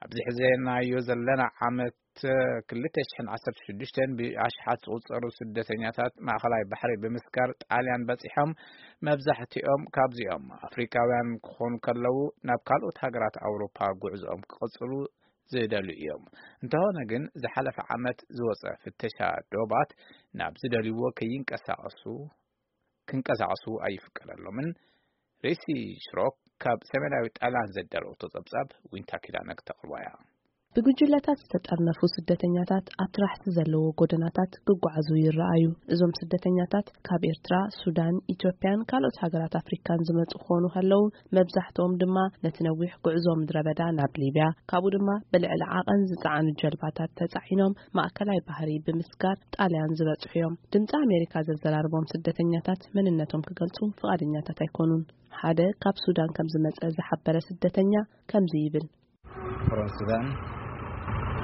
ኣብዚ ሕዘናዮ ዘለና ዓመት ክልተ ሽሕን ዓሰርተ ሽዱሽተን ብኣሽሓት ዝቑጸሩ ስደተኛታት ማእኸላይ ባሕሪ ብምስጋር ጣልያን በጺሖም፣ መብዛሕትኦም ካብዚኦም ኣፍሪካውያን ክኾኑ ከለዉ፣ ናብ ካልኦት ሃገራት ኣውሮፓ ጉዕዞኦም ክቕጽሉ ዝደልዩ እዮም። እንተኾነ ግን፣ ዝሓለፈ ዓመት ዝወጸ ፍተሻ ዶባት ናብ ዝደልይዎ ከይንቀሳቐሱ፣ ክንቀሳቐሱ ኣይፍቀደሎምን። ሪሲ ሽሮክ ካብ ሰሜናዊ ጣልያን ዘዳለወቶ ጸብጻብ ዊንታ ኪዳነ ክተቕርቦ እያ። ብጉጅለታት ዝተጠርነፉ ስደተኛታት ኣብ ትራሕቲ ዘለዎ ጎደናታት ክጓዓዙ ይረኣዩ። እዞም ስደተኛታት ካብ ኤርትራ፣ ሱዳን፣ ኢትዮጵያን ካልኦት ሃገራት ኣፍሪካን ዝመጹ ክኾኑ ከለዉ፣ መብዛሕትኦም ድማ ነቲ ነዊሕ ጉዕዞ ምድረ በዳ ናብ ሊብያ፣ ካብኡ ድማ ብልዕሊ ዓቐን ዝጸዓኑ ጀልባታት ተጻዒኖም ማእከላይ ባህሪ ብምስጋር ጣልያን ዝበጽሑ እዮም። ድምጺ ኣሜሪካ ዘዘራርቦም ስደተኛታት መንነቶም ክገልጹ ፍቓደኛታት ኣይኮኑን። ሓደ ካብ ሱዳን ከም ዝመጸ ዝሓበረ ስደተኛ ከምዚ ይብል። From Sudan.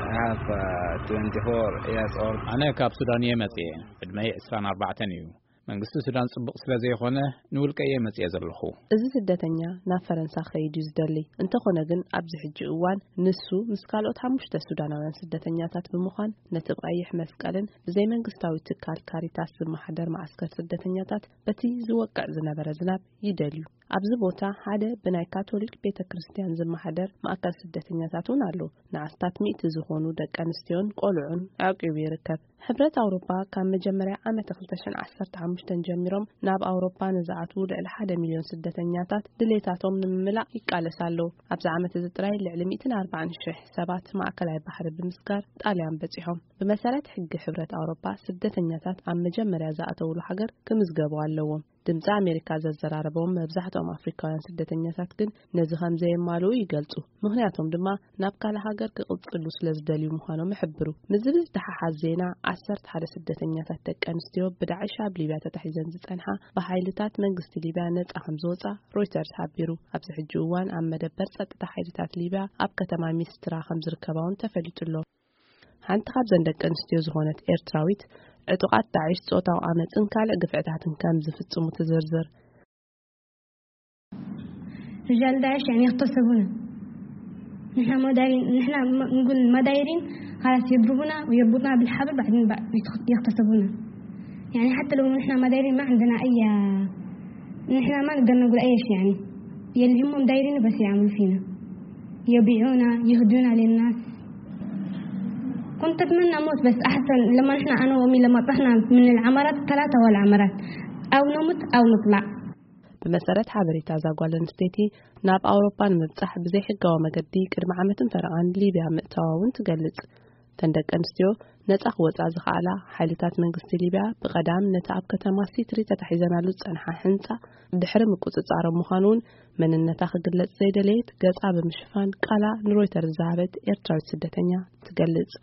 I have uh, twenty-four years old. ኣነ ካብ ሱዳን እየ መጽየ። ዕድመይ ዕስራን ኣርባዕተን እዩ። መንግስቲ ሱዳን ጽቡቕ ስለ ዘይኾነ፣ ንውልቀ እየ መጽየ ዘለኹ። እዚ ስደተኛ ናብ ፈረንሳ ከይድ እዩ ዝደሊ። እንተኾነ ግን፣ ኣብዚ ሕጂ እዋን ንሱ ምስ ካልኦት ሓሙሽተ ሱዳናውያን ስደተኛታት ብምዃን ነቲ ብቐይሕ መስቀልን ብዘይመንግስታዊ ትካል ካሪታስ ዝመሓደር መዓስከር ስደተኛታት በቲ ዝወቅዕ ዝነበረ ዝናብ ይደልዩ። ኣብዚ ቦታ ሓደ ብናይ ካቶሊክ ቤተ ክርስቲያን ዝመሓደር ማእከል ስደተኛታት እውን ኣሎ። ንኣስታት ሚእቲ ዝኾኑ ደቂ ኣንስትዮን ቆልዑን ኣዕቂቡ ይርከብ። ሕብረት ኣውሮፓ ካብ መጀመርያ ዓመት ክልተ ሽሕን ዓሰርተ ሓሙሽተን ጀሚሮም ናብ ኣውሮፓ ንዝኣትዉ ልዕሊ ሓደ ሚልዮን ስደተኛታት ድሌታቶም ንምምላእ ይቃለስ ኣሎ። ኣብዚ ዓመት እዚ ጥራይ ልዕሊ ሚእትን ኣርባዓን ሽሕ ሰባት ማእከላይ ባሕሪ ብምስጋር ጣልያን በጺሖም። ብመሰረት ሕጊ ሕብረት ኣውሮፓ፣ ስደተኛታት ኣብ መጀመርያ ዝኣተውሉ ሃገር ክምዝገቡ ኣለዎም። ድምጺ ኣሜሪካ ዘዘራረቦም መብዛሕትኦም ኣፍሪካውያን ስደተኛታት ግን ነዚ ከም ዘየማልኡ ይገልጹ። ምኽንያቶም ድማ ናብ ካልእ ሃገር ክቕጽሉ ስለ ዝደልዩ ምዃኖም ይሕብሩ። ምስዚ ብዝተሓሓዝ ዜና፣ ዓሰርተ ሓደ ስደተኛታት ደቂ ኣንስትዮ ብዳዕሽ ኣብ ሊብያ ተታሒዘን ዝጸንሓ ብሓይልታት መንግስቲ ሊብያ ነጻ ከም ዝወጻ ሮይተርስ ሓቢሩ። ኣብዚ ሕጂ እዋን ኣብ መደበር ጸጥታ ሓይልታት ሊብያ ኣብ ከተማ ሚስትራ ከም ዝርከባ እውን ተፈሊጡ ኣሎ። ሓንቲ ካብዘን ደቂ ኣንስትዮ ዝኾነት ኤርትራዊት፣ ዕጡቓት ዳዕሽ ጾታዊ ዓመጽን ካልእ ግፍዕታትን ከም ዝፍጽሙ ትዝርዝር። رجال داعش يعني يغتصبونا. نحن ما دايرين، نحن ما، نقول ما دايرين، خلاص يضربونا ويربطونا بالحبل، بعدين بق-، يتخ-، يغتصبونا. يعني حتى لو نحن ما دايرين، ما عندنا أي، نحن ما نقدر نقول أي شيء يعني. يلي هم دايرينه بس يعملوا فينا. يبيعونا، يهدونا للناس. كنت أتمنى أموت، بس أحسن لما نحن، أنا وأمي لما طحنا من العمارات، ثلاثة هو العمارات، أو نموت أو نطلع. ብመሰረት ሓበሬታ እዛ ጓል ኣንስተይቲ፣ ናብ ኣውሮፓ ንምብጻሕ ብዘይሕጋዊ መገዲ ቅድሚ ዓመትን ፈረቓን ሊብያ ምእታዋ እውን ትገልጽ። እተን ደቂ ኣንስትዮ ነጻ ክወጻ ዝኸኣላ፣ ሓይልታት መንግስቲ ሊብያ ብቐዳም ነቲ ኣብ ከተማ ሲትሪ ተታሒዘናሉ ዝጸንሓ ህንጻ ድሕሪ ምቁጽጻሮም ምዃኑ እውን፣ መንነታ ክግለጽ ዘይደለየት፣ ገጻ ብምሽፋን ቃላ ንሮይተርስ ዝሃበት ኤርትራዊት ስደተኛ ትገልጽ።